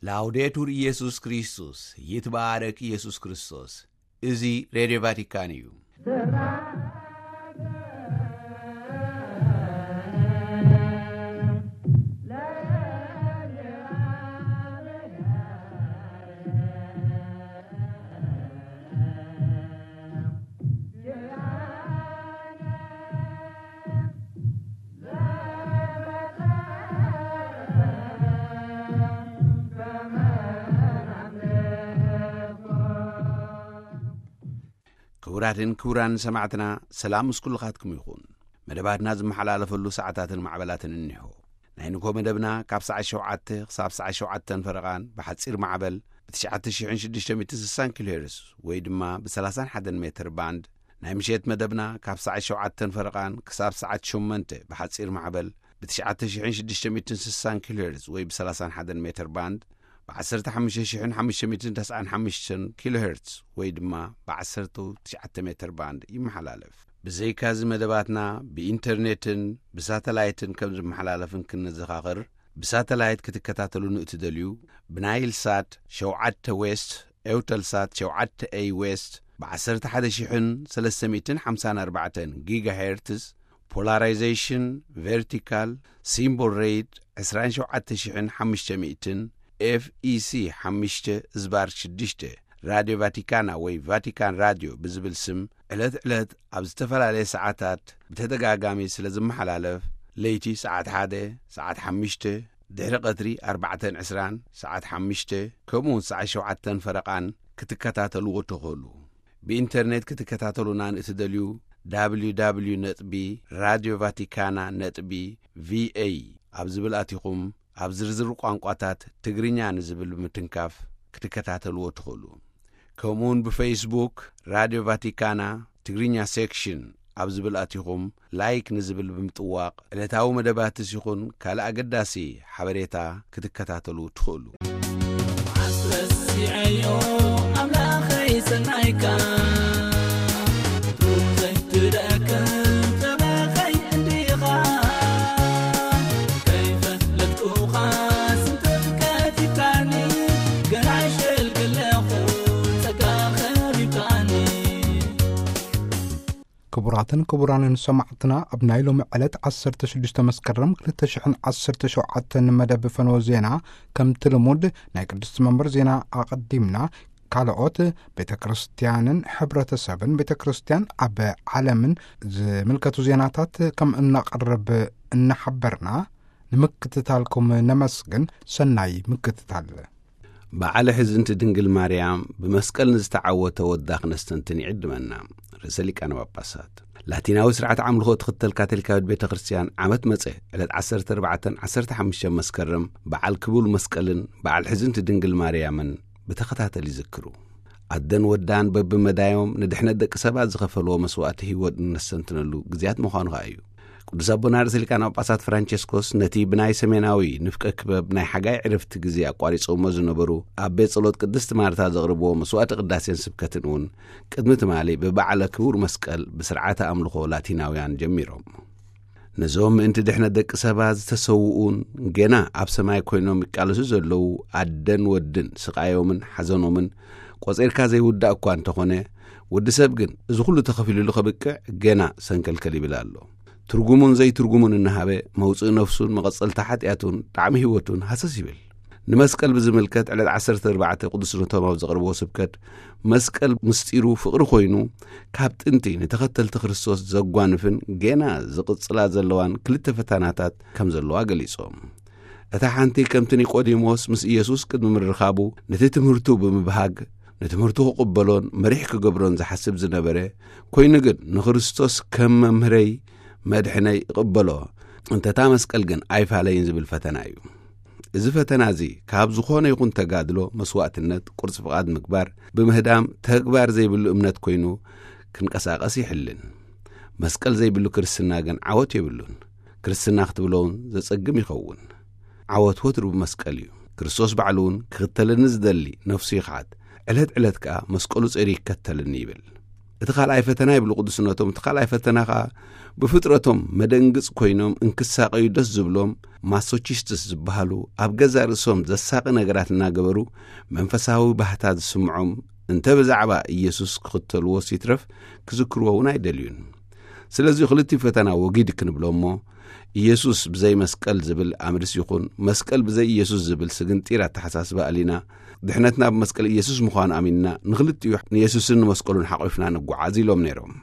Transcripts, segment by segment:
ላውዴቱር ኢየሱስ ክርስቶስ፣ ይትባረክ ኢየሱስ ክርስቶስ። እዚ ሬድዮ ቫቲካን እዩ። ክቡራትን ክቡራን ሰማዕትና፣ ሰላም ምስ ኩልኻትኩም ይኹን። መደባትና ዝመሓላለፈሉ ሰዓታትን ማዕበላትን እኒሆ። ናይ ንግሆ መደብና ካብ ሰዓት ሸውዓተ ክሳብ ሰዓት ሸውዓተን ፈረቓን ብሓጺር ማዕበል ብ ትሽዓተ ሽሕን ሽዱሽተ ሚእትን ስሳን ኪሎ ሄርዝ ወይ ድማ ብ ሰላሳን ሓደን ሜትር ባንድ፣ ናይ ምሸት መደብና ካብ ሰዓት ሸውዓተን ፈረቓን ክሳብ ሰዓት ሸሞንተ ብሓጺር ማዕበል ብ ትሽዓተ ሽሕን ሽዱሽተ ሚእትን ስሳን ኪሎ ሄርዝ ወይ ብ ሰላሳን ሓደን ሜትር ባንድ፣ ብ ዓሰርተ ሓሙሽተ ሽሕን ሓሙሽተ ሚእትን ተስዓን ሓሙሽተን ኪሎ ሄርዝ ወይ ድማ ብ ዓሰርተ ትሽዓተ ሜትር ባንድ ይመሓላለፍ። ብዘይካዚ መደባትና ብኢንተርኔትን ብሳተላይትን ከም ዝመሓላለፍን ክንዘኻኽር፣ ብሳተላይት ክትከታተሉ ንእትደልዩ፣ ብናይል ሳት ሸውዓተ ዌስት፣ ኤውተልሳት ሸውዓተ ኤይ ዌስት፣ ብ ዓሰርተ ሓደ ሽሕን ሰለስተ ሚእትን ሓምሳን ኣርባዕተን ጊጋሄርትዝ፣ ፖላራይዜሽን ቨርቲካል፣ ሲምቦል ሬት ዕስራን ሸውዓተ ሽሕን ሓሙሽተ ሚእትን፣ ኤፍ ኢ ሲ ሓሙሽተ ዝባር ሽዱሽተ፣ ራድዮ ቫቲካና ወይ ቫቲካን ራድዮ ብዝብል ስም ዕለት ዕለት ኣብ ዝተፈላለየ ሰዓታት ብተደጋጋሚ ስለ ዝመሓላለፍ፣ ለይቲ ሰዓት ሓደ፣ ሰዓት ሓሙሽተ፣ ድሕሪ ቀትሪ ኣርባዕተን ዕስራን፣ ሰዓት ሓሙሽተ፣ ከምኡ እውን ሰዓት ሸውዓተን ፈረቓን ክትከታተልዎ ትኽእሉ። ብኢንተርኔት ክትከታተሉና ንእትደልዩ፣ www ነጥቢ ራድዮ ቫቲካና ነጥቢ ቪ ኤ ኣብ ዝብል ኣቲኹም፣ ኣብ ዝርዝር ቋንቋታት ትግርኛ ንዝብል ብምትንካፍ ክትከታተልዎ ትኽእሉ። ከምኡውን ብፌስቡክ ራድዮ ቫቲካና ትግርኛ ሴክሽን ኣብ ዝብል ኣቲኹም፣ ላይክ ንዝብል ብምጥዋቕ፣ ዕለታዊ መደባትስ ይኹን ካልእ ኣገዳሲ ሓበሬታ ክትከታተሉ ትኽእሉ። ኣስረስዐዮ ኣምላኸይ ሰናይካ፣ ሩዘይ ትደክም ተባኸይ እንዲኻ፣ ከይፈለጥኩኻ ስንተት ከቲካኒ፣ ገና ሸልግለኹ ጸጋ ኸቢብካኒ። ክቡራትን ክቡራንን ሰማዕትና፣ ኣብ ናይ ሎሚ ዕለት ዓሰርተ ሽዱሽተ መስከረም ክልተ ሽሕን ዓሰርተ ሸውዓተን መደብ ፈነወ ዜና፣ ከምቲ ልሙድ ናይ ቅድስቲ መንበር ዜና ኣቐዲምና፣ ካልኦት ቤተ ክርስቲያንን ሕብረተሰብን ቤተ ክርስቲያን ኣብ ዓለምን ዝምልከቱ ዜናታት ከም እነቕርብ እናሓበርና፣ ንምክትታልኩም ነመስግን። ሰናይ ምክትታል። በዓለ ሕዝንቲ ድንግል ማርያም ብመስቀል ንዝተዓወተ ወዳ ክነስተንትን ይዕድመና። ርእሰ ሊቃነ ጳጳሳት። ላቲናዊ ስርዓት ኣምልኾ እትኽተል ካቶሊካዊት ቤተ ክርስቲያን ዓመት መጸ ዕለት ዓሰርተ ኣርባዕተን ዓሰርተ ሓሙሽተን መስከረም በዓል ክቡር መስቀልን በዓል ሕዝንቲ ድንግል ማርያምን ብተኸታተል ይዝክሩ። ኣደን ወዳን በብመዳዮም ንድሕነት ደቂ ሰባት ዝኸፈልዎ መስዋእቲ ህይወት እነስተንትነሉ ግዜያት ምዃኑ ኸኣ እዩ። ቅዱስ ኣቦና ርእሰ ሊቃነ ጳጳሳት ፍራንቸስኮስ ነቲ ብናይ ሰሜናዊ ንፍቀ ክበብ ናይ ሓጋይ ዕረፍቲ ግዜ ኣቋሪጾሞ ዝነበሩ ኣብ ቤት ጸሎት ቅድስቲ ማርታ ዘቕርብዎ መስዋእቲ ቅዳሴን ስብከትን እውን ቅድሚ ትማሊ ብበዓለ ክቡር መስቀል ብስርዓተ ኣምልኾ ላቲናውያን ጀሚሮም። ነዞም ምእንቲ ድሕነት ደቂ ሰባት ዝተሰውኡን ገና ኣብ ሰማይ ኮይኖም ይቃለሱ ዘለዉ ኣደን ወድን ስቓዮምን ሓዘኖምን ቆጺርካ ዘይውዳእ እኳ እንተኾነ፣ ወዲ ሰብ ግን እዚ ኩሉ ተኸፊሉሉ ከብቅዕ ገና ሰንከልከል ይብል ኣሎ። ትርጉሙን ዘይትርጉሙን እናሃበ መውጽኢ ነፍሱን መቐጸልታ ሓጢኣቱን ጣዕሚ ህይወቱን ሃሰስ ይብል። ንመስቀል ብዝምልከት ዕለት ዓሰርተ ኣርባዕተ ቅዱስነቶም ኣብ ዘቕርብዎ ስብከት፣ መስቀል ምስጢሩ ፍቕሪ ኮይኑ፣ ካብ ጥንቲ ንተኸተልቲ ክርስቶስ ዘጓንፍን ገና ዝቕጽላ ዘለዋን ክልተ ፈተናታት ከም ዘለዋ ገሊጾም። እታ ሓንቲ ከምቲ ኒቆዲሞስ ምስ ኢየሱስ ቅድሚ ምርኻቡ ነቲ ትምህርቱ ብምብሃግ፣ ንትምህርቱ ክቕበሎን መሪሕ ክገብሮን ዝሓስብ ዝነበረ፣ ኮይኑ ግን ንክርስቶስ ከም መምህረይ መድሕነይ እቕበሎ፣ እንተ እታ መስቀል ግን ኣይፋለይን ዝብል ፈተና እዩ። እዚ ፈተና እዚ ካብ ዝኾነ ይኹን ተጋድሎ፣ መስዋእትነት፣ ቁርጽ ፍቓድ ምግባር፣ ብምህዳም ተግባር ዘይብሉ እምነት ኮይኑ ክንቀሳቐስ ይሕልን። መስቀል ዘይብሉ ክርስትና ግን ዓወት የብሉን። ክርስትና ክትብሎ እውን ዘጸግም ይኸውን። ዓወት ወትሩ ብመስቀል እዩ። ክርስቶስ ባዕሉ እውን ክኽተለኒ ዝደሊ ነፍሱ ይኽሓድ፣ ዕለት ዕለት ከኣ መስቀሉ ጸይሩ ይከተለኒ ይብል። እቲ ካልኣይ ፈተና ይብሉ ቅዱስነቶም፣ እቲ ካልኣይ ፈተና ኸኣ ብፍጥረቶም መደንግጽ ኮይኖም እንክሳቐዩ ደስ ዝብሎም ማሶቺስትስ ዝበሃሉ ኣብ ገዛእ ርእሶም ዘሳቒ ነገራት እናገበሩ መንፈሳዊ ባህታ ዝስምዖም እንተ ብዛዕባ ኢየሱስ ክኽተልዎስ ይትረፍ ክዝክርዎ እውን ኣይደልዩን። ስለዚ ክልቲኡ ፈተና ወጊድ ክንብሎ እሞ ኢየሱስ ብዘይ መስቀል ዝብል ኣምርስ ይኹን መስቀል ብዘይ ኢየሱስ ዝብል ስግንጢር ኣተሓሳስባ ኣሊና ድሕነትና ብመስቀል ኢየሱስ ምዃኑ ኣሚንና ንኽልቲኡ ንኢየሱስን ንመስቀሉን ሓቒፍና ንጓዓዝ ኢሎም ነይሮም።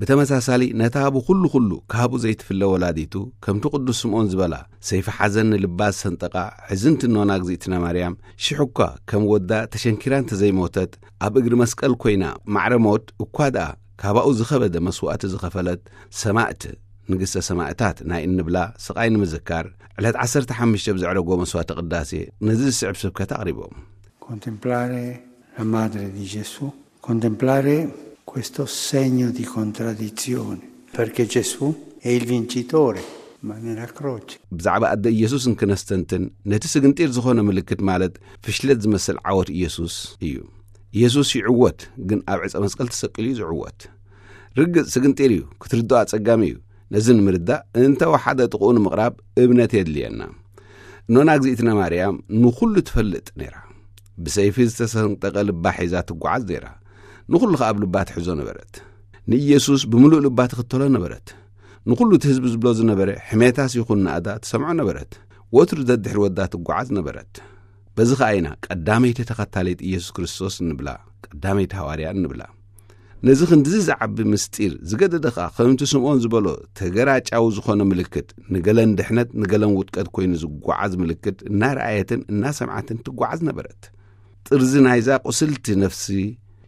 ብተመሳሳሊ ነታ ብኹሉ ኩሉ ካብኡ ዘይትፍለ ወላዲቱ ከምቲ ቅዱስ ስምዖን ዝበላ ሰይፊ ሓዘን ንልባ ዝሰንጠቃ ሕዝንቲ ኖና እግዚኣብትና ማርያም ሽሕ እኳ ከም ወዳ ተሸንኪራ እንተዘይሞተት ኣብ እግሪ መስቀል ኮይና ማዕረ ሞት እኳ ደኣ ካባኡ ዝኸበደ መስዋእቲ ዝኸፈለት ሰማእት ንግስተ ሰማእታት ናይ እንብላ ስቓይ ንምዝካር ዕለት ዓሰርተ ሓሙሽተ ብዘዕረጎ መስዋእቲ ቅዳሴ ነዚ ዝስዕብ ስብከት ኣቕሪቦም። Contemplare la madre di Gesù, contemplare questo segno di contraddizione, perché Gesù è il vincitore, ma nella croce. ብዛዕባ ኣደ ኢየሱስ እንክነስተንትን ነቲ ስግንጢር ዝኾነ ምልክት ማለት ፍሽለት ዝመስል ዓወት ኢየሱስ እዩ። ኢየሱስ ይዕወት፣ ግን ኣብ ዕፀ መስቀል ተሰቂሉ እዩ ዝዕወት። ርግጽ ስግንጢር እዩ፣ ክትርድኦ ኣጸጋሚ እዩ። ነዚ ንምርዳእ እንተ ወሓደ ጥቕኡ ንምቕራብ እምነት የድልየና። እኖና እግዚኣብትና ማርያም ንኹሉ ትፈልጥ ነይራ። ብሰይፊ ዝተሰንጠቐ ልባ ሒዛ ትጓዓዝ ነይራ። ንኹሉ ከኣ ኣብ ልባ ትሕዞ ነበረት። ንኢየሱስ ብምሉእ ልባ ትኽተሎ ነበረት። ንኹሉ እቲ ህዝቢ ዝብሎ ዝነበረ ሕሜታስ ይኹን ናእዳ ትሰምዖ ነበረት። ወትሩ ደድሕሪ ወዳ ትጓዓዝ ነበረት። በዚ ኸኣ ኢና ቀዳመይቲ ተኸታሊት ኢየሱስ ክርስቶስ እንብላ፣ ቀዳመይቲ ሃዋርያ እንብላ። ነዚ ክንድዚ ዝዓቢ ምስጢር ዝገደደ ኸኣ ከምቲ ስምዖን ዝበሎ ተገራጫዊ ዝኾነ ምልክት ንገለን ድሕነት ንገለን ውድቀት ኮይኑ ዝጓዓዝ ምልክት እናረኣየትን እናሰምዓትን ትጓዓዝ ነበረት። ጥርዚ ናይዛ ቁስልቲ ነፍሲ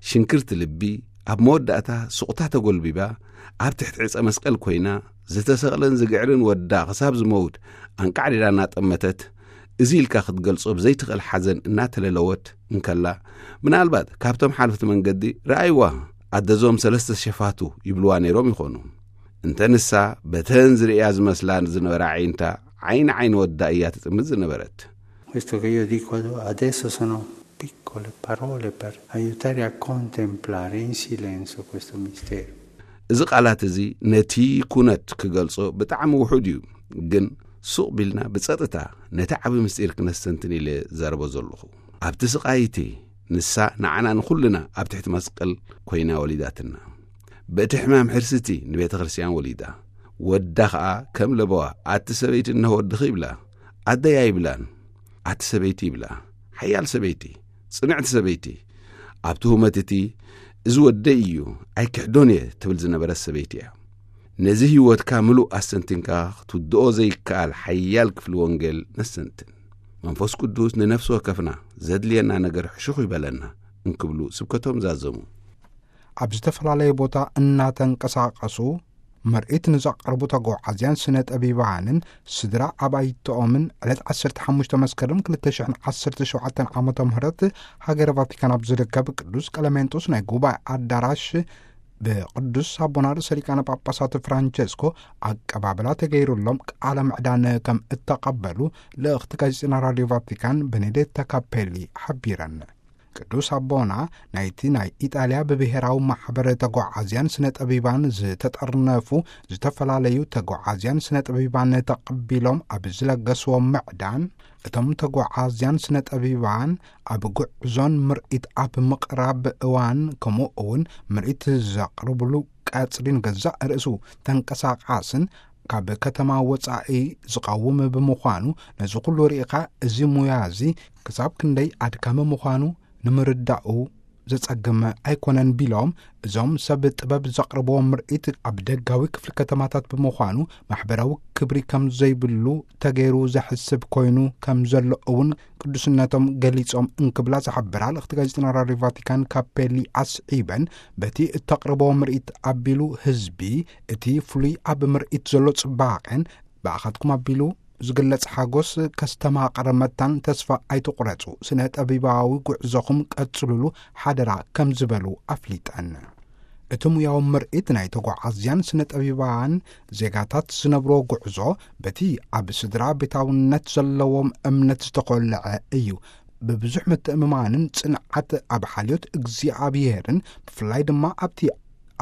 ሽንክርቲ ልቢ ኣብ መወዳእታ ሱቕታ ተጎልቢባ ኣብ ትሕቲ ዕፀ መስቀል ኮይና ዝተሰቕለን ዝግዕርን ወዳ ክሳብ ዝመውት ኣንቃዕዲዳ እናጠመተት እዚ ኢልካ ክትገልጾ ብዘይትኽእል ሓዘን እናተለለወት እንከላ ምናልባት ካብቶም ሓለፍቲ መንገዲ ረኣይዋ ኣደዞም ሰለስተ ሸፋቱ ይብልዋ ነይሮም ይኾኑ። እንተ ንሳ በተን ዝርእያ ዝመስላ ዝነበራ ዓይንታ ዓይኒ ዓይኒ ወዳ እያ ትጥምት ዝነበረት። Questo che io dico adesso sono piccole parole per aiutare a contemplare in silenzio questo mistero. እዚ ቃላት እዚ ነቲ ኩነት ክገልጾ ብጣዕሚ ውሑድ እዩ፣ ግን ሱቕ ቢልና ብጸጥታ ነቲ ዓቢ ምስጢር ክነስተንትን ኢለ ዘረቦ ዘለኹ። ኣብቲ ስቓይቲ ንሳ ንዓና ንኹልና ኣብ ትሕቲ መስቀል ኮይና ወሊዳትና። በቲ ሕማም ሕርስቲ ንቤተ ክርስቲያን ወሊዳ። ወዳ ኸኣ ከም ለበዋ ኣቲ ሰበይቲ እነሆ ወድኺ ይብላ። ኣደይ ኣይብላን፣ ኣቲ ሰበይቲ ይብላ። ሓያል ሰበይቲ፣ ጽንዕቲ ሰበይቲ። ኣብቲ ሁመት እቲ እዚ ወደይ እዩ፣ ኣይክሕዶን እየ ትብል ዝነበረት ሰበይቲ እያ። ነዚ ህይወትካ ምሉእ ኣስተንቲንካ ክትውድኦ ዘይከኣል ሓያል ክፍሊ ወንጌል ነስተንትን። መንፈስ ቅዱስ ንነፍሲ ወከፍና ዘድልየና ነገር ሕሹኽ ይበለና እንክብሉ ስብከቶም ዛዘሙ። ኣብ ዝተፈላለየ ቦታ እናተንቀሳቐሱ ምርኢት ንዘቕርቡ ተጓዓዝያን ስነ ጠቢባንን ስድራ ኣባይቶኦምን ዕለት ዓሰርተ ሓሙሽተ መስከረም ክልተ ሽሕን ዓሰርተ ሸውዓተን ዓመተ ምህረት ሃገረ ቫቲካን ኣብ ዝርከብ ቅዱስ ቀለሜንጦስ ናይ ጉባኤ ኣዳራሽ ብቅዱስ ኣቦና ርእሰ ሊቃነ ጳጳሳት ፍራንቸስኮ ኣቀባብላ ተገይሩሎም ቃለ ምዕዳን ከም እተቐበሉ ልእኽቲ ጋዜጠና ራድዮ ቫቲካን ቤኔዴታ ካፔሊ ሓቢረን። ቅዱስ ኣቦና ናይቲ ናይ ኢጣልያ ብብሔራዊ ማሕበር ተጓዓዝያን ስነ ጠቢባን ዝተጠርነፉ ዝተፈላለዩ ተጓዓዝያን ስነ ጠቢባን ተቐቢሎም ኣብ ዝለገስዎ ምዕዳን እቶም ተጓዓዝያን ስነ ጠቢባን ኣብ ጉዕዞን ምርኢት ኣብ ምቕራብ እዋን ከምኡ እውን ምርኢት ዘቕርብሉ ቀጽሪ ንገዛእ ርእሱ ተንቀሳቓስን ካብ ከተማ ወጻኢ ዝቐውም ብምዃኑ ነዚ ኩሉ ርኢኻ እዚ ሙያ እዚ ክሳብ ክንደይ ኣድካሚ ምዃኑ ንምርዳኡ ዘጸግም ኣይኮነን ቢሎም እዞም ሰብ ጥበብ ዘቕርብዎ ምርኢት ኣብ ደጋዊ ክፍሊ ከተማታት ብምዃኑ ማሕበራዊ ክብሪ ከም ዘይብሉ ተገይሩ ዘሕስብ ኮይኑ ከም ዘሎ እውን ቅዱስነቶም ገሊጾም እንክብላ ዝሓበራ ልእኽቲ ጋዜጠና ራድዮ ቫቲካን ካፔሊ ኣስዒበን በቲ እተቕርቦ ምርኢት ኣቢሉ ህዝቢ እቲ ፍሉይ ኣብ ምርኢት ዘሎ ጽባቐን ብኣኻትኩም ኣቢሉ ዝግለጽ ሓጎስ ከስተማቕር መታን ተስፋ ኣይትቑረጹ። ስነ ጠቢባዊ ጉዕዞኹም ቀጽሉሉ ሓደራ ከም ዝበሉ ኣፍሊጠን። እቲ ሙያዊ ምርኢት ናይ ተጓዓዝያን ስነ ጠቢባን ዜጋታት ዝነብሮ ጉዕዞ በቲ ኣብ ስድራ ቤታውነት ዘለዎም እምነት ዝተኾልዐ እዩ። ብብዙሕ ምትእምማንን ጽንዓት ኣብ ሓልዮት እግዚኣብሔርን ብፍላይ ድማ ኣብቲ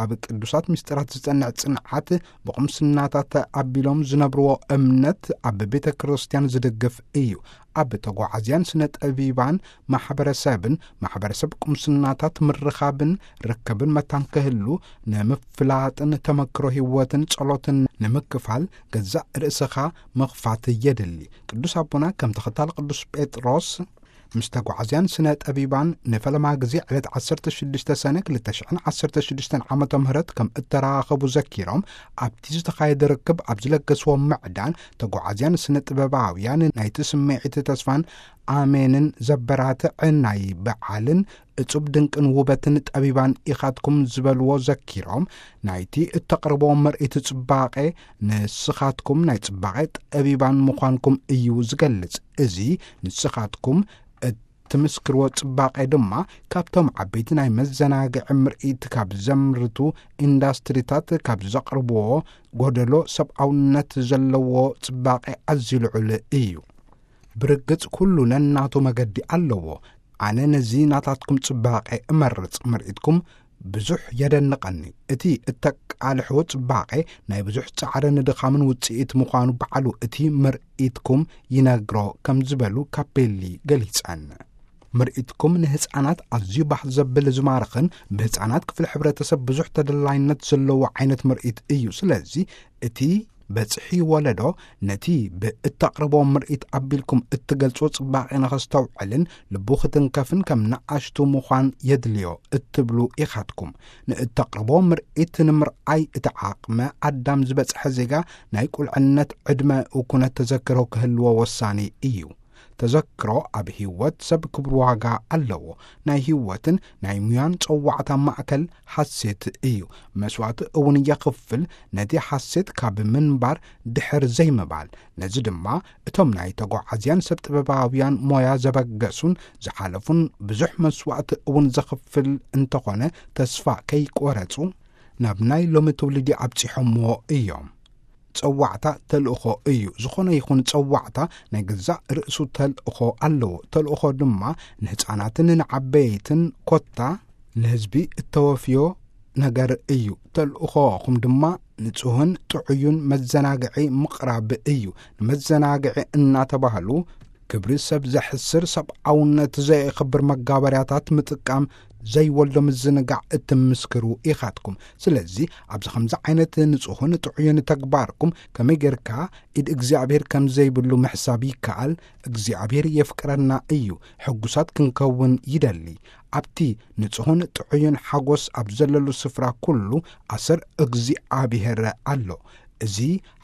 ኣብ ቅዱሳት ምስጢራት ዝጸንዕ ጽንዓት፣ ብቕምስናታት ኣቢሎም ዝነብርዎ እምነት ኣብ ቤተ ክርስቲያን ዝድግፍ እዩ። ኣብ ተጓዓዝያን ስነ ጠቢባን ማሕበረሰብን፣ ማሕበረሰብ ቅምስናታት ምርኻብን ርክብን መታን ክህሉ፣ ንምፍላጥን ተመክሮ ህይወትን ጸሎትን ንምክፋል፣ ገዛእ ርእስኻ ምኽፋት የድሊ። ቅዱስ ኣቦና ከም ተኸታሊ ቅዱስ ጴጥሮስ፣ ምስ ተጓዓዝያን ስነ ጠቢባን ንፈለማ ግዜ ዕለት ዓሰርተ ሽዱሽተ ሰነ ክልተ ሽሕን ዓሰርተ ሽዱሽተን ዓመተ ምህረት ከም እተራኸቡ ዘኪሮም፣ ኣብቲ ዝተኻየደ ርክብ ኣብ ዝለገስዎ ምዕዳን፣ ተጓዓዝያን ስነ ጥበባውያን ናይቲ ስምዒት ተስፋን ኣሜንን ዘበራትዕ ናይ በዓልን እጹብ ድንቅን ውበትን ጠቢባን ኢኻትኩም ዝበልዎ ዘኪሮም፣ ናይቲ እተቕርቦ ምርኢት ጽባቐ ንስኻትኩም ናይ ጽባቐ ጠቢባን ምዃንኩም እዩ ዝገልጽ። እዚ ንስኻትኩም እትምስክርዎ ጽባቐ ድማ ካብቶም ዓበይቲ ናይ መዘናግዒ ምርኢት ካብ ዘምርቱ ኢንዳስትሪታት ካብ ዘቕርብዎ ጎደሎ ሰብኣውነት ዘለዎ ጽባቐ ኣዝዩ ልዑል እዩ። ብርግጽ ኩሉ ነናቱ መገዲ ኣለዎ። ኣነ ነዚ ናታትኩም ጽባቐ እመርጽ። ምርኢትኩም ብዙሕ የደንቐኒ። እቲ እተቃልሕዎ ጽባቐ ናይ ብዙሕ ጻዕርን ድኻምን ውጽኢት ምዃኑ ባዕሉ እቲ ምርኢትኩም ይነግሮ ከም ዝበሉ ካፔሊ ገሊጸን። ምርኢትኩም ንህጻናት ኣዝዩ ባህ ዘብል ዝማርኽን ብህጻናት ክፍሊ ሕብረተሰብ ብዙሕ ተደላይነት ዘለዎ ዓይነት ምርኢት እዩ። ስለዚ እቲ በጽሒ ወለዶ ነቲ ብእተቕርቦ ምርኢት ኣቢልኩም እትገልጾ ጽባቐ ንኸስተውዕልን ልቡ ክትንከፍን ከም ንኣሽቱ ምዃን የድልዮ እትብሉ ኢኻትኩም። ንእተቕርቦ ምርኢት ንምርኣይ እቲ ዓቕመ ኣዳም ዝበጽሐ ዜጋ ናይ ቁልዕነት ዕድመ ኩነት ተዘክሮ ክህልዎ ወሳኒ እዩ። ተዘክሮ ኣብ ህይወት ሰብ ክብር ዋጋ ኣለዎ። ናይ ህይወትን ናይ ሙያን ጸዋዕታ ማእከል ሓሴት እዩ። መስዋእቲ እውን የኽፍል፣ ነቲ ሓሴት ካብ ምንባር ድሕር ዘይምባል። ነዚ ድማ እቶም ናይ ተጓዓዝያን ሰብ ጥበባውያን ሞያ ዘበገሱን ዝሓለፉን ብዙሕ መስዋእቲ እውን ዘኽፍል እንተኾነ ተስፋ ከይቆረጹ ናብ ናይ ሎሚ ትውልዲ ኣብጺሖምዎ እዮም። ጸዋዕታ ተልእኾ እዩ። ዝኾነ ይኹን ጸዋዕታ ናይ ገዛእ ርእሱ ተልእኾ ኣለዎ። ተልእኾ ድማ ንህጻናትን ንዓበይትን ኮታ ንህዝቢ እተወፍዮ ነገር እዩ። ተልእኾኹም ድማ ንጹህን ጥዑዩን መዘናግዒ ምቕራብ እዩ። ንመዘናግዒ እናተባህሉ ክብሪ ሰብ ዘሕስር ሰብኣውነት ዘየኽብር መጋበርያታት ምጥቃም ዘይወልዶ ምዝንጋዕ እትምስክሩ ኢኻትኩም። ስለዚ ኣብዚ ከምዚ ዓይነት ንጹህን ጥዑይን ተግባርኩም ከመይ ጌርካ ኢድ እግዚኣብሔር ከም ዘይብሉ ምሕሳብ ይከኣል? እግዚኣብሔር የፍቅረና እዩ። ሕጉሳት ክንከውን ይደሊ። ኣብቲ ንጹህን ጥዑይን ሓጎስ ኣብ ዘለሉ ስፍራ ኩሉ ኣሰር እግዚኣብሔር ኣሎ። እዚ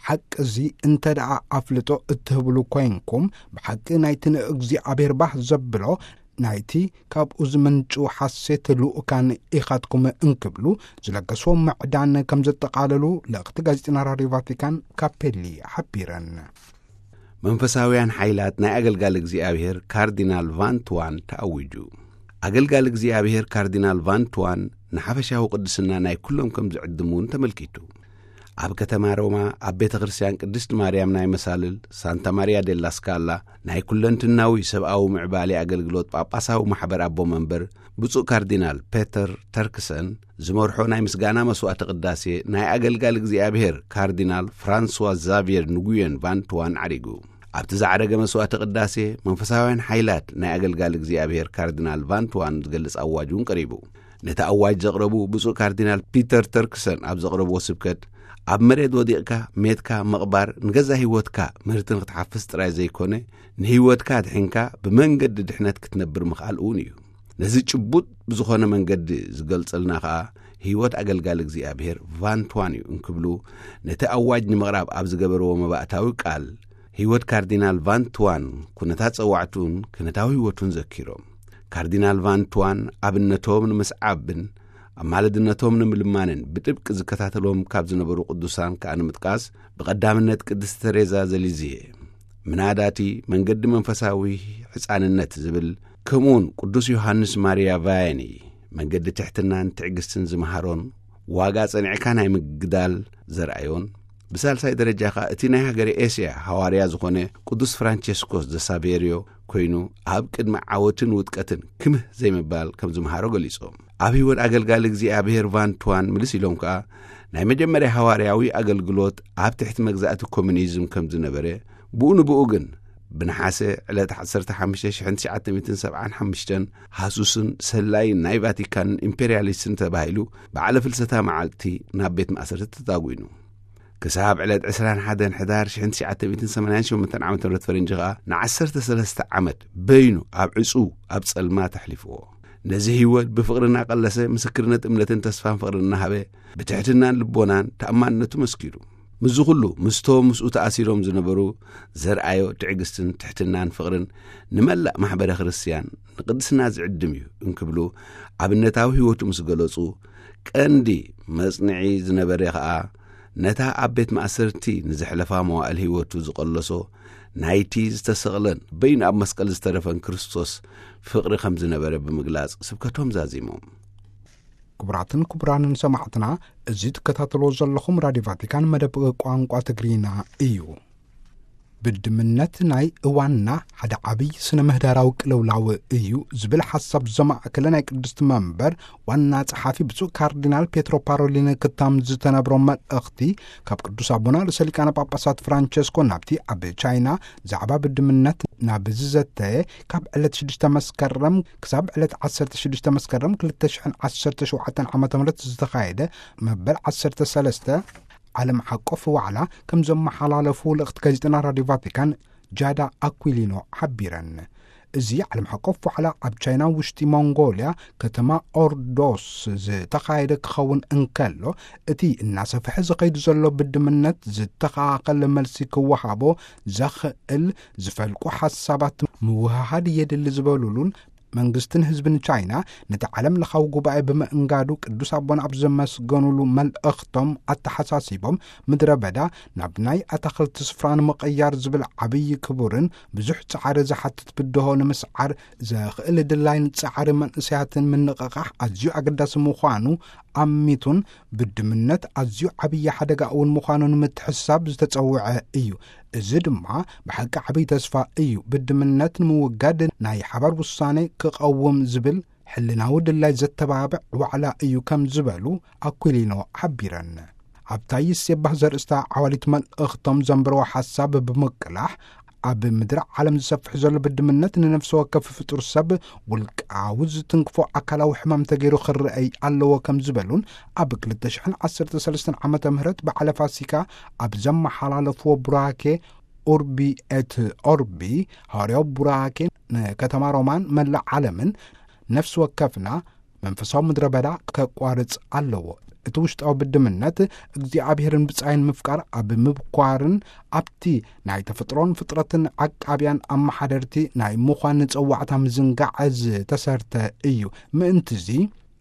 ሓቂ እዚ እንተ ደኣ ኣፍልጦ እትህብሉ ኮይንኩም፣ ብሓቂ ናይቲ ንእግዚኣብሔር ባህ ዘብሎ ናይቲ ካብኡ ዝምንጩ ሓሴት ልኡካን ኢኻትኩም እንክብሉ ዝለገስዎ ምዕዳን ከም ዘጠቓለሉ ልእኽቲ ጋዜጠና ራድዮ ቫቲካን ካፔሊ ሓቢረን። መንፈሳውያን ሓይላት ናይ ኣገልጋሊ እግዚኣብሔር ካርዲናል ቫን ትዋን ተኣዊጁ። ኣገልጋሊ እግዚኣብሔር ካርዲናል ቫን ትዋን ንሓፈሻዊ ቅድስና ናይ ኩሎም ከም ዝዕድም እውን ተመልኪቱ። ኣብ ከተማ ሮማ ኣብ ቤተ ክርስቲያን ቅድስት ማርያም ናይ መሳልል ሳንታ ማርያ ዴላ ስካላ ናይ ኩለንትናዊ ሰብኣዊ ምዕባሌ ኣገልግሎት ጳጳሳዊ ማሕበር ኣቦ መንበር ብፁዕ ካርዲናል ፔተር ተርክሰን ዝመርሖ ናይ ምስጋና መስዋዕቲ ቅዳሴ ናይ ኣገልጋሊ እግዚኣብሔር ካርዲናል ፍራንስዋ ዛቪየር ንጉየን ቫን ትዋን ዓሪጉ። ኣብቲ ዝዓረገ መስዋዕቲ ቅዳሴ መንፈሳውያን ሓይላት ናይ ኣገልጋሊ እግዚኣብሔር ካርዲናል ቫን ትዋን ዝገልጽ ኣዋጅ እውን ቀሪቡ። ነቲ ኣዋጅ ዘቕረቡ ብፁዕ ካርዲናል ፒተር ተርክሰን ኣብ ዘቕረብዎ ስብከት፣ ኣብ መሬት ወዲቕካ ሜትካ ምቕባር ንገዛ ህይወትካ ምህርቲ ንክትሓፍስ ጥራይ ዘይኮነ፣ ንህይወትካ ኣድሒንካ ብመንገዲ ድሕነት ክትነብር ምኽኣል እውን እዩ። ነዚ ጭቡጥ ብዝኾነ መንገዲ ዝገልጸልና ኸኣ ህይወት ኣገልጋሊ እግዚኣብሔር ቫን ትዋን እዩ እንክብሉ ነቲ ኣዋጅ ንምቕራብ ኣብ ዝገበርዎ መባእታዊ ቃል ህይወት ካርዲናል ቫን ትዋን ኩነታት ጸዋዕቱን ክነታዊ ህይወቱን ዘኪሮም። ካርዲናል ቫን ትዋን ኣብነቶም ንምስዓብን ኣማልድነቶም ንምልማንን ብጥብቂ ዝከታተሎም ካብ ዝነበሩ ቅዱሳን ከኣ ንምጥቃስ ብቐዳምነት ቅድስቲ ተሬዛ ዘሊዝየ፣ ምናዳቲ መንገዲ መንፈሳዊ ሕፃንነት ዝብል፣ ከምኡውን ቅዱስ ዮሃንስ ማርያ ቫያኒ መንገዲ ትሕትናን ትዕግስትን ዝመሃሮን ዋጋ ጸኒዕካ ናይ ምግዳል ዘርኣዮን፣ ብሳልሳይ ደረጃ ኸኣ እቲ ናይ ሃገረ ኤስያ ሃዋርያ ዝኾነ ቅዱስ ፍራንቸስኮስ ዘሳቬርዮ ኮይኑ፣ ኣብ ቅድሚ ዓወትን ውድቀትን ክምህ ዘይምባል ከም ዝምሃሮ ገሊጾም። ኣብ ህይወት ኣገልጋሊ እግዚኣብሔር ቫን ትዋን ምልስ ኢሎም ከኣ፣ ናይ መጀመርያ ሃዋርያዊ ኣገልግሎት ኣብ ትሕቲ መግዛእቲ ኮሙኒዝም ከም ዝነበረ፣ ብኡ ንብኡ ግን ብነሓሰ ዕለት ዓሰርተ ሓሙሽተ ሽሕን ትሽዓተ ሚእትን ሰብዓን ሓሙሽተን ሃሱስን ሰላይን ናይ ቫቲካንን ኢምፔርያሊስትን ተባሂሉ፣ በዓለ ፍልሰታ መዓልቲ ናብ ቤት ማእሰርቲ ተታጒኑ። ክሳብ ዕለት ዕስራን ሓደን ሕዳር ሽሕን ትሽዓተ ሚእትን ሰማንያን ሸሞንተን ዓመተ ምህረት ፈረንጂ ኸኣ፣ ንዓሰርተ ሰለስተ ዓመት በይኑ ኣብ ዕጹው ኣብ ጸልማት ኣሕሊፍዎ። ነዚ ህይወት ብፍቕሪ እናቐለሰ፣ ምስክርነት እምነትን ተስፋን ፍቕርን እናሃበ፣ ብትሕትናን ልቦናን ተኣማንነቱ መስኪሩ። ምስዚ ኹሉ፣ ምስቶም ምስኡ ተኣሲሮም ዝነበሩ ዘርኣዮ ትዕግስትን ትሕትናን ፍቕርን ንመላእ ማሕበረ ክርስትያን ንቅድስና ዝዕድም እዩ እንክብሉ ኣብነታዊ ህይወቱ ምስ ገለጹ፣ ቀንዲ መጽንዒ ዝነበረ ኸኣ ነታ ኣብ ቤት ማእሰርቲ ንዘሕለፋ መዋእል ህይወቱ ዝቐለሶ ናይቲ ዝተሰቕለን በይኑ ኣብ መስቀል ዝተረፈን ክርስቶስ ፍቕሪ ከም ዝነበረ ብምግላጽ ስብከቶም ዛዚሞም። ክቡራትን ክቡራንን ሰማዕትና፣ እዚ ትከታተልዎ ዘለኹም ራድዮ ቫቲካን መደብ ቋንቋ ትግርኛ እዩ። ብድምነት ናይ እዋንና ሓደ ዓብዪ ስነ ምህዳራዊ ቅልውላው እዩ ዝብል ሓሳብ ዘማእከለ ናይ ቅድስቲ መንበር ዋና ጸሓፊ ብፁዕ ካርዲናል ፔትሮ ፓሮሊን ክታም ዝተነብሮ መልእኽቲ ካብ ቅዱስ ኣቦና ርእሰ ሊቃነ ጳጳሳት ፍራንቸስኮ ናብቲ ኣብ ቻይና ዛዕባ ብድምነት ናብ ዝዘተየ ካብ ዕለት ሽዱሽተ መስከረም ክሳብ ዕለት ዓሰርተ ሽዱሽተ መስከረም ክልተ ሽሕን ዓሰርተ ሸውዓተን ዓመተ ምህረት ዝተኻየደ መበል ዓሰርተ ሰለስተ ዓለም ዓቀፍ ዋዕላ ከም ዘመሓላለፉ ልእኽቲ ጋዜጠና ራድዮ ቫቲካን ጃዳ ኣኩሊኖ ሓቢረን። እዚ ዓለም ዓቀፍ ዋዕላ ኣብ ቻይና ውሽጢ ሞንጎልያ ከተማ ኦርዶስ ዝተኻየደ ክኸውን እንከሎ፣ እቲ እናሰፍሐ ዝኸይድ ዘሎ ብድምነት ዝተኸኻኸለ መልሲ ክወሃቦ ዘኽእል ዝፈልቁ ሓሳባት ምውህሃድ የድሊ ዝበሉሉን መንግስትን ህዝብን ቻይና ነቲ ዓለም ለኻዊ ጉባኤ ብምእንጋዱ ቅዱስ ኣቦና ኣብ ዘመስገኑሉ መልእኽቶም ኣተሓሳሲቦም፣ ምድረ በዳ ናብ ናይ ኣታኽልቲ ስፍራ ንምቕያር ዝብል ዓብዪ ክቡርን ብዙሕ ጻዕሪ ዝሓትት ብድሆ ንምስዓር ዘኽእል ድላይን ጻዕሪ መንእሰያትን ምንቕቓሕ ኣዝዩ ኣገዳሲ ምዃኑ ኣሚቱን ብድምነት ኣዝዩ ዓብዪ ሓደጋ እውን ምዃኑ ንምትሕስሳብ ዝተጸውዐ እዩ። እዚ ድማ ብሓቂ ዓብዪ ተስፋ እዩ። ብድምነት ንምውጋድ ናይ ሓባር ውሳኔ ክቐውም ዝብል ሕልናዊ ድላይ ዘተባብዕ ዋዕላ እዩ ከም ዝበሉ ኣኩሊኖ ሓቢረን። ኣብ ታይስ የባህ ዘርእስታ ዓዋሊት መልእኽቶም ዘንበረዎ ሓሳብ ብምቅላሕ፣ ኣብ ምድሪ ዓለም ዝሰፍሕ ዘሎ ብድምነት ንነፍሲ ወከፍ ፍጡር ሰብ ውልቃዊ ዝትንክፎ ኣካላዊ ሕማም ተገይሩ ክረኣይ ኣለዎ ከም ዝበሉን፣ ኣብ ክልተ ሽሕን ዓሰርተ ሰለስተን ዓመተ ምህረት በዓለ ፋሲካ ኣብ ዘመሓላለፍዎ ቡራኬ ኡርቢ ኤት ኦርቢ፣ ሃዋርያዊ ቡራኬ ንከተማ ሮማን መላእ ዓለምን ነፍሲ ወከፍና መንፈሳዊ ምድረ በዳ ከቋርጽ ኣለዎ። እቲ ውሽጣዊ ብድምነት እግዚኣብሔርን ብጻይን ምፍቃር ኣብ ምብኳርን ኣብቲ ናይ ተፈጥሮን ፍጥረትን ዓቃብያን ኣመሓደርቲ ናይ ምዃን ጸዋዕታ ምዝንጋዕ ዝተሰርተ እዩ። ምእንትዚ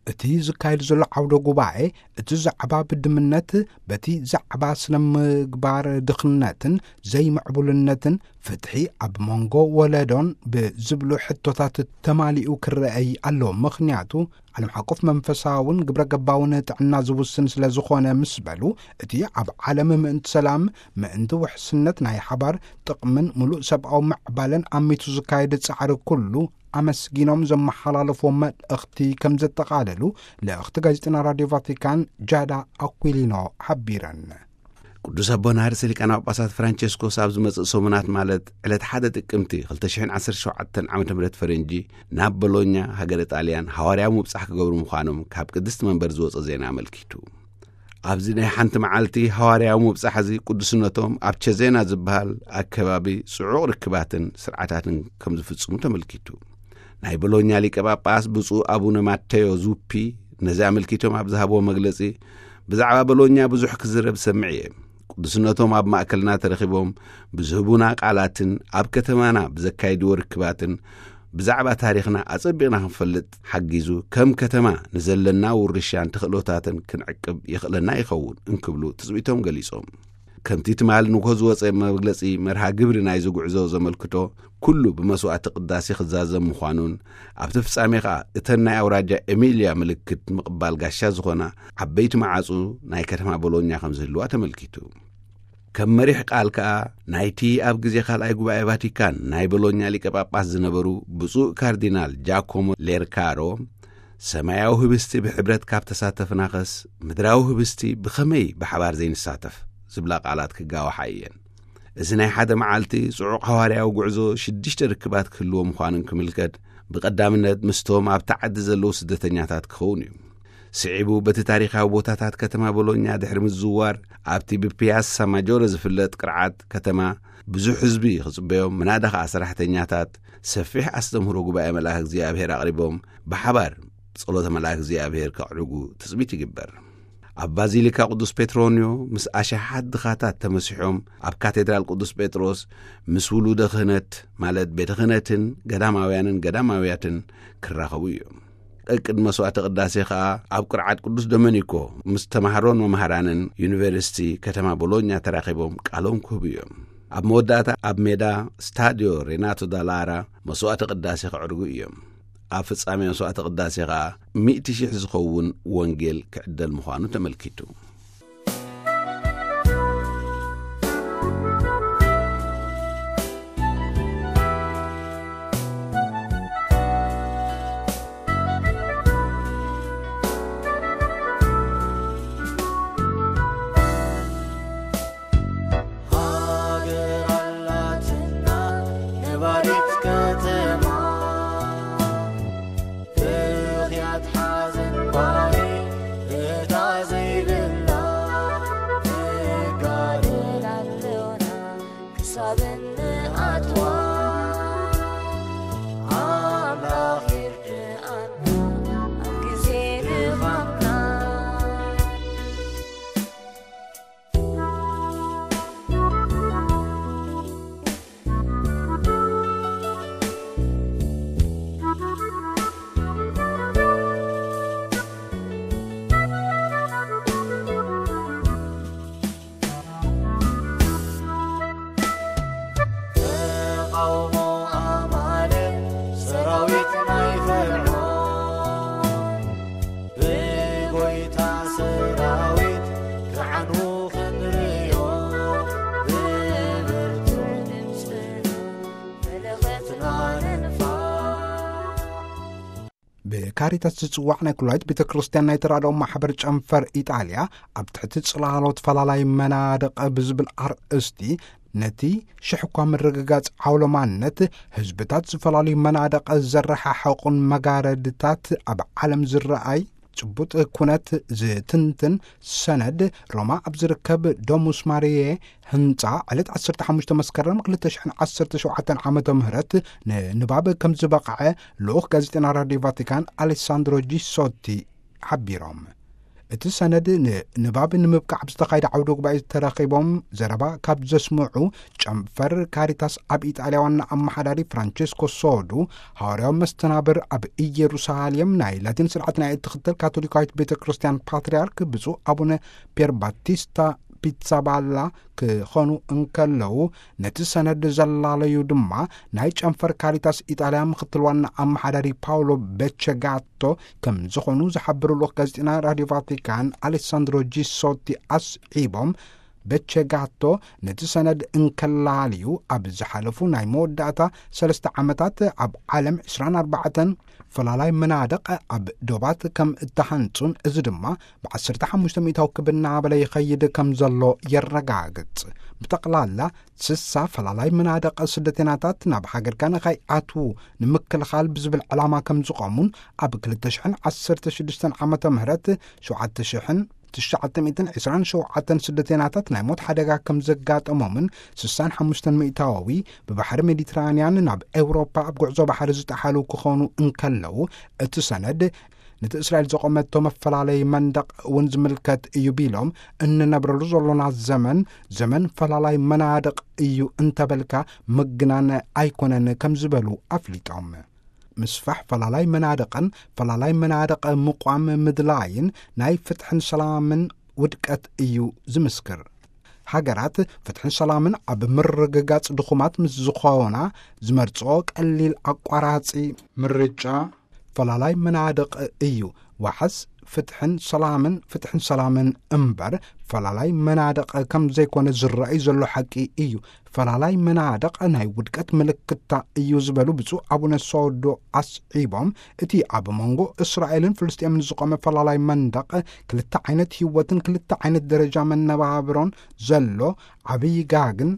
እቲ ዝካየድ ዘሎ ዓውደ ጉባኤ እቲ ዛዕባ ብድምነት በቲ ዛዕባ ስነ ምግባር ድኽነትን ዘይምዕቡልነትን ፍትሒ ኣብ መንጎ ወለዶን ብዝብሉ ሕቶታት ተማሊኡ ክረኣይ ኣለዎ። ምኽንያቱ ዓለም ሓቆፍ መንፈሳውን ግብረ ገባውን ጥዕና ዝውስን ስለ ዝኾነ ምስ በሉ፣ እቲ ኣብ ዓለም ምእንቲ ሰላም፣ ምእንቲ ውሕስነት ናይ ሓባር ጥቕምን ምሉእ ሰብኣዊ ምዕባለን ኣሚቱ ዝካየድ ጻዕሪ ኩሉ ኣመስጊኖም ዘመሓላለፍዎ መልእኽቲ ከም ዘጠቓለሉ ልእኽቲ ጋዜጠና ራድዮ ቫቲካን ጃዳ ኣኩሊኖ ሓቢረን። ቅዱስ ኣቦና ርእሰ ሊቃነ ጳጳሳት ፍራንቸስኮስ ኣብ ዝመጽእ ሰሙናት፣ ማለት ዕለት ሓደ ጥቅምቲ ክልተ ሽሕን ዓሰርተ ሸውዓተን ዓመተ ምህረት ፈረንጂ፣ ናብ ቦሎኛ ሃገረ ጣልያን ሃዋርያዊ ምብጻሕ ክገብሩ ምዃኖም ካብ ቅድስቲ መንበር ዝወጸ ዜና ኣመልኪቱ። ኣብዚ ናይ ሓንቲ መዓልቲ ሃዋርያዊ ምብጻሕ እዚ ቅዱስነቶም ኣብ ቸዜና ዝበሃል ኣከባቢ ጽዑቕ ርክባትን ስርዓታትን ከም ዝፍጽሙ ተመልኪቱ። ናይ ቦሎኛ ሊቀ ጳጳስ ብፁዕ ኣቡነ ማቴዮ ዙፒ ነዚ ኣመልኪቶም ኣብ ዝሃብዎ መግለጺ፣ ብዛዕባ ቦሎኛ ብዙሕ ክዝረብ ዝሰምዕ እየ። ቅዱስነቶም ኣብ ማእከልና ተረኺቦም ብዝህቡና ቃላትን ኣብ ከተማና ብዘካይድዎ ርክባትን ብዛዕባ ታሪኽና ኣጸቢቕና ክንፈልጥ ሓጊዙ፣ ከም ከተማ ንዘለና ውርሻን ተኽእሎታትን ክንዕቅብ የኽእለና ይኸውን እንክብሉ ትጽቢቶም ገሊጾም። ከምቲ ትማሊ ንግሆ ዝወጸ መግለጺ መርሃ ግብሪ ናይዚ ጉዕዞ ዘመልክቶ፣ ኩሉ ብመስዋዕቲ ቅዳሴ ክዛዘም ምዃኑን፣ ኣብቲ ፍጻሜ ከኣ እተን ናይ ኣውራጃ ኤሚልያ ምልክት ምቕባል ጋሻ ዝኾና ዓበይቲ መዓጹ ናይ ከተማ ቦሎኛ ከም ዝህልዋ ተመልኪቱ። ከም መሪሕ ቃል ከኣ ናይቲ ኣብ ግዜ ካልኣይ ጉባኤ ቫቲካን ናይ ቦሎኛ ሊቀ ጳጳስ ዝነበሩ ብፁዕ ካርዲናል ጃኮሞ ሌርካሮ፣ ሰማያዊ ህብስቲ ብሕብረት ካብ ተሳተፍናኸስ፣ ምድራዊ ህብስቲ ብኸመይ ብሓባር ዘይንሳተፍ? ዝብላ ቃላት ክጋወሓ እየን። እዚ ናይ ሓደ መዓልቲ ጽዑቕ ሃዋርያዊ ጉዕዞ ሽዱሽተ ርክባት ክህልዎ ምዃኑን ክምልከት፣ ብቐዳምነት ምስቶም ኣብቲ ዓዲ ዘለዉ ስደተኛታት ክኸውን እዩ። ስዒቡ በቲ ታሪኻዊ ቦታታት ከተማ ቦሎኛ ድሕሪ ምዝውዋር፣ ኣብቲ ብፒያሳ ማጆረ ዝፍለጥ ቅርዓት ከተማ ብዙሕ ህዝቢ ክጽበዮም፣ ምናዳ ኸኣ ሰራሕተኛታት ሰፊሕ ኣስተምህሮ ጉባኤ መልኣክ እግዚኣብሔር ኣቕሪቦም፣ ብሓባር ጸሎተ መልኣክ እግዚኣብሔር ከዕርጉ ትጽቢት ይግበር። ኣብ ባዚሊካ ቅዱስ ጴጥሮንዮ ምስ ኣሽሓት ድኻታት ተመሲሖም፣ ኣብ ካቴድራል ቅዱስ ጴጥሮስ ምስ ውሉደ ክህነት፣ ማለት ቤተ ክህነትን ገዳማውያንን ገዳማውያትን ክራኸቡ እዮም። ቅድሚ መስዋዕተ ቅዳሴ ኸኣ ኣብ ቅርዓት ቅዱስ ዶመኒኮ ምስ ተማሃሮን መምሃራንን ዩኒቨርሲቲ ከተማ ቦሎኛ ተራኺቦም ቃሎም ክህቡ እዮም። ኣብ መወዳእታ ኣብ ሜዳ ስታድዮ ሬናቶ ዳላራ መስዋዕተ ቅዳሴ ከዕርጉ እዮም። ኣብ ፍጻሜ መስዋዕተ ቅዳሴ ኸኣ ሚእቲ ሺሕ ዝኸውን ወንጌል ክዕደል ምዃኑ ተመልኪቱ። ሃገር ኣላትና ነባሪት ከተማ፣ ብኽያት ሓዘን ባሪ እታ ዘይብላ፣ ንጋደል ኣለና ክሳብ እንኣትዋ። ኣምላኽ ይርድኣና ኣብ ግዜ ድኻምና። ተቓውሞ ኣማልእ ሰራዊት ናይ ፈርዖን፣ ብጎይታ ሰራዊት ክዓኑ ክንርእዮ፣ ብብርቱዕ ድምፅና መለኸትና ንንፋ። ብካሪታስ ዝጽዋዕ ናይ ኩላዊት ቤተ ክርስቲያን ናይ ተራድኦ ማሕበር ጨንፈር ኢጣልያ፣ ኣብ ትሕቲ ጽላሎት ፈላላይ መናድቕ ብዝብል ኣርእስቲ፣ ነቲ ሽሕ እኳ ምርግጋጽ ዓውሎማነት፣ ህዝብታት ዝፈላለዩ መናድቕ ዘረሓሕቑን መጋረድታት ኣብ ዓለም ዝረኣይ ጭቡጥ ኩነት ዝትንትን ሰነድ፣ ሮማ ኣብ ዝርከብ ዶሙስ ማሪየ ህንጻ ዕለት ዓሰርተ ሓሙሽተ መስከረም ክልተ ሽሕን ዓሰርተ ሸውዓተን ዓመተ ምህረት ንንባብ ከም ዝበቕዐ ልኡኽ ጋዜጠና ራድዮ ቫቲካን ኣሌሳንድሮ ጂሶቲ ሓቢሮም። እቲ ሰነድ ንንባብ ንምብቃዕ ኣብ ዝተኻየደ ዓውደ ጉባኤ ተረኺቦም ዘረባ ካብ ዘስምዑ፣ ጨንፈር ካሪታስ ኣብ ኢጣልያ ዋና ኣመሓዳሪ ፍራንቸስኮ ሶዱ፣ ሃዋርያዊ መስተናብር ኣብ ኢየሩሳሌም ናይ ላቲን ስርዓት ናይ እትኽተል ካቶሊካዊት ቤተ ክርስቲያን ፓትርያርክ ብፁዕ ኣቡነ ፒየር ባቲስታ ፒትሳባላ ክኾኑ እንከለዉ፣ ነቲ ሰነድ ዘላለዩ ድማ ናይ ጨንፈር ካሪታስ ኢጣልያ ምኽትል ዋና ኣመሓዳሪ ፓውሎ ቤቸጋቶ ከም ዝኾኑ ዝሓበሩ ልኡኽ ጋዜጠና ራድዮ ቫቲካን ኣሌሳንድሮ ጂሶቲ ኣስዒቦም፣ ቤቸጋቶ ነቲ ሰነድ እንከላልዩ፣ ኣብ ዝሓለፉ ናይ መወዳእታ ሰለስተ ዓመታት ኣብ ዓለም ዕስራን ኣርባዕተን ፈላላይ መናድቕ ኣብ ዶባት ከም እተሃንጹን፣ እዚ ድማ ብዓሰርተ ሓሙሽተ ሚእታዊ ክብ እናበለ ይኸይድ ከም ዘሎ የረጋግጽ። ብጠቕላላ ስሳ ፈላላይ መናድቕ ስደተኛታት ናብ ሃገርካ ንኸይኣትዉ ንምክልኻል ብዝብል ዕላማ ከም ዝቖሙን፣ ኣብ ክልተ ሽሕን ዓሰርተ ሽዱሽተን ዓመተ ምህረት ሸውዓተ ሽሕን ትሽዓተ ሚእትን ዕስራን ሸውዓተን ስደተኛታት ናይ ሞት ሓደጋ ከም ዘጋጠሞምን፣ ስሳን ሓሙሽተን ሚእታዊ ብባሕሪ ሜዲትራንያን ናብ ኤውሮፓ ኣብ ጉዕዞ ባሕሪ ዝጠሓሉ ክኾኑ እንከለዉ፣ እቲ ሰነድ ነቲ እስራኤል ዘቖመቶ መፈላለይ መንደቕ እውን ዝምልከት እዩ ቢሎም፣ እንነብረሉ ዘሎና ዘመን፣ ዘመን ፈላላይ መናድቕ እዩ እንተበልካ ምግናን ኣይኮነን ከም ዝበሉ ኣፍሊጦም። ምስፋሕ ፈላላይ መናድቕን ፈላላይ መናድቕ ምቋም ምድላይን ናይ ፍትሕን ሰላምን ውድቀት እዩ ዝምስክር። ሃገራት ፍትሕን ሰላምን ኣብ ምርግጋጽ ድኹማት ምስ ዝኾና፣ ዝመርጽኦ ቀሊል ኣቋራጺ ምርጫ ፈላላይ መናድቕ እዩ። ዋሕስ ፍትሕን ሰላምን፣ ፍትሕን ሰላምን እምበር ፈላላይ መናድቕ ከም ዘይኮነ ዝረኣይ ዘሎ ሓቂ እዩ። ፈላላይ መናድቕ ናይ ውድቀት ምልክታ እዩ ዝበሉ ብፁዕ ኣቡነ ሶዶ ኣስዒቦም፣ እቲ ኣብ መንጎ እስራኤልን ፍልስጤምን ዝቖመ ፈላላይ መንደቕ ክልተ ዓይነት ህይወትን ክልተ ዓይነት ደረጃ መነባብሮን ዘሎ ዓብዪ ጋግን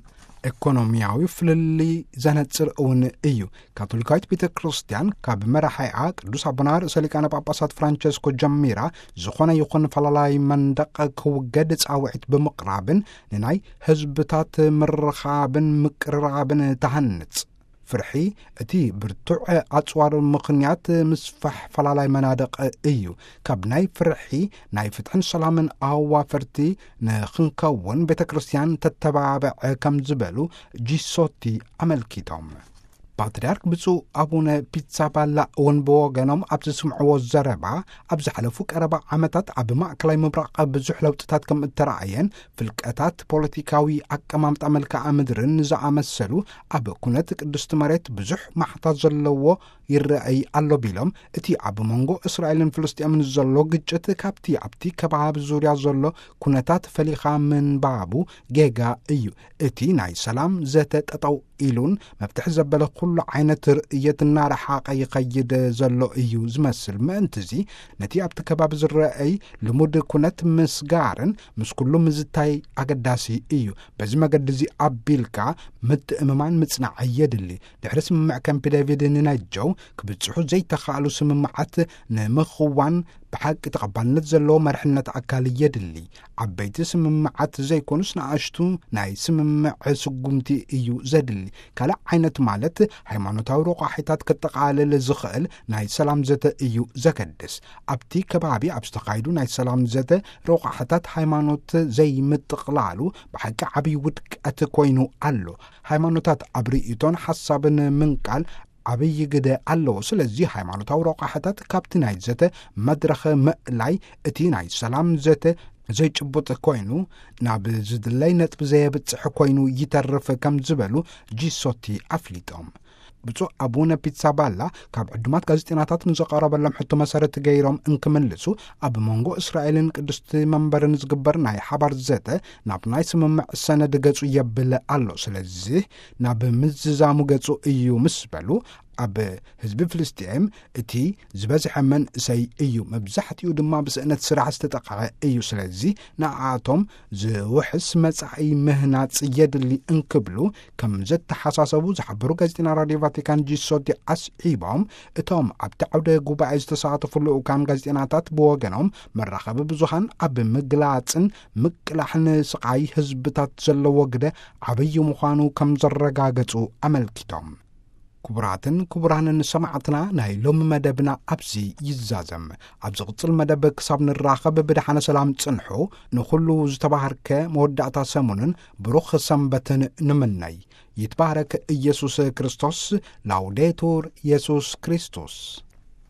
ኤኮኖሚያዊ ፍልልይ ዘነጽር እውን እዩ። ካቶሊካዊት ቤተ ክርስቲያን ካብ መራሒኣ ቅዱስ ኣቦና ርእሰ ሊቃነ ጳጳሳት ፍራንቸስኮ ጀሚራ፣ ዝኾነ ይኹን ፈላላይ መንደቕ ክውገድ ጻውዒት ብምቕራብን ንናይ ህዝብታት ምርኻብን ምቅርራብን ተሃንጽ። ፍርሒ እቲ ብርቱዕ ኣጽዋር ምኽንያት ምስፋሕ ፈላላይ መናድቕ እዩ። ካብ ናይ ፍርሒ ናይ ፍትሕን ሰላምን ኣዋፈርቲ ንኽንከውን ቤተ ክርስቲያን ተተባብዕ ከም ዝበሉ ጂሶቲ ኣመልኪቶም። ፓትርያርክ ብፁዕ ኣቡነ ፒትሳባላ እውን ብወገኖም ኣብ ዝስምዕዎ ዘረባ፣ ኣብ ዝሓለፉ ቀረባ ዓመታት ኣብ ማእከላይ ምብራቕ ብዙሕ ለውጥታት ከም እተረኣየን፣ ፍልቀታት ፖለቲካዊ ኣቀማምጣ መልክዓ ምድርን ዝኣመሰሉ ኣብ ኩነት ቅድስቲ መሬት ብዙሕ ማሕታ ዘለዎ ይረኣይ ኣሎ ቢሎም፣ እቲ ኣብ መንጎ እስራኤልን ፍልስጤምን ዘሎ ግጭት ካብቲ ኣብቲ ከባቢ ዙርያ ዘሎ ኩነታት ፈሊኻ ምንባቡ ጌጋ እዩ። እቲ ናይ ሰላም ዘተ ጠጠው ኢሉን መፍትሒ ዘበለ ኩሉ ዓይነት ርእየት እናረሓቐ ይኸይድ ዘሎ እዩ ዝመስል። ምእንትዚ ነቲ ኣብቲ ከባቢ ዝረኣይ ልሙድ ኩነት ምስጋርን ምስ ኩሉ ምዝታይ ኣገዳሲ እዩ። በዚ መገዲ እዚ ኣቢልካ ምትእምማን ምጽናዕ የድሊ። ድሕሪ ስምምዕ ካምፕ ዴቪድ ንነጀው ክብጽሑ ዘይተኻእሉ ስምምዓት ንምኽዋን ብሓቂ ተቐባልነት ዘለዎ መርሕነት ኣካል የድሊ። ዓበይቲ ስምምዓት ዘይኮኑስ ንኣሽቱ ናይ ስምምዕ ስጉምቲ እዩ ዘድሊ። ካልእ ዓይነት ማለት ሃይማኖታዊ ረቋሒታት ከጠቓልል ዝኽእል ናይ ሰላም ዘተ እዩ ዘገድስ። ኣብቲ ከባቢ ኣብ ዝተኻየዱ ናይ ሰላም ዘተ ረቋሒታት ሃይማኖት ዘይምጥቕላሉ ብሓቂ ዓብዪ ውድቀት ኮይኑ ኣሎ። ሃይማኖታት ኣብ ርእይቶን ሓሳብን ምንቃል ዓብዪ ግደ ኣለዎ። ስለዚ ሃይማኖታዊ ረቋሕታት ካብቲ ናይ ዘተ መድረኽ ምእላይ እቲ ናይ ሰላም ዘተ ዘይጭቡጥ ኮይኑ ናብ ዝድለይ ነጥቢ ዘየብጽሕ ኮይኑ ይተርፍ ከም ዝበሉ ጂሶቲ ኣፍሊጦም። ብፁዕ ኣቡነ ፒትሳባላ ካብ ዕዱማት ጋዜጠኛታት ንዘቐረበሎም ሕቶ መሰረት ገይሮም እንክምልሱ፣ ኣብ መንጎ እስራኤልን ቅድስቲ መንበርን ዝግበር ናይ ሓባር ዘተ ናብ ናይ ስምምዕ ሰነድ ገጹ የብል ኣሎ። ስለዚህ ናብ ምዝዛሙ ገጹ እዩ ምስ በሉ፣ ኣብ ህዝቢ ፍልስጤም እቲ ዝበዝሐ መንእሰይ እዩ፣ መብዛሕትኡ ድማ ብስእነት ስራሕ ዝተጠቕዐ እዩ። ስለዚ ንኣቶም ዝውሕስ መጻኢ ምህናጽ የድሊ እንክብሉ ከም ዘተሓሳሰቡ ዝሓበሩ ጋዜጠኛ ራድዮ ቫቲካን ጂሶቲ ኣስዒቦም፣ እቶም ኣብቲ ዓውደ ጉባኤ ዝተሳተፉ ልኡካን ጋዜጠኛታት ብወገኖም መራኸቢ ብዙሃን ኣብ ምግላጽን ምቅላሕን ስቓይ ህዝብታት ዘለዎ ግደ ዓብዪ ምዃኑ ከም ዘረጋገጹ ኣመልኪቶም። ክቡራትን ክቡራንን ሰማዕትና፣ ናይ ሎሚ መደብና ኣብዚ ይዛዘም። ኣብ ዝቕጽል መደብ ክሳብ ንራኸብ ብደሓነ ሰላም ጽንሑ። ንኹሉ ዝተባህርከ መወዳእታ ሰሙንን ብሩኽ ሰንበትን ንምነይ። ይትባረክ ኢየሱስ ክርስቶስ። ላውዴቱር ኢየሱስ ክርስቶስ።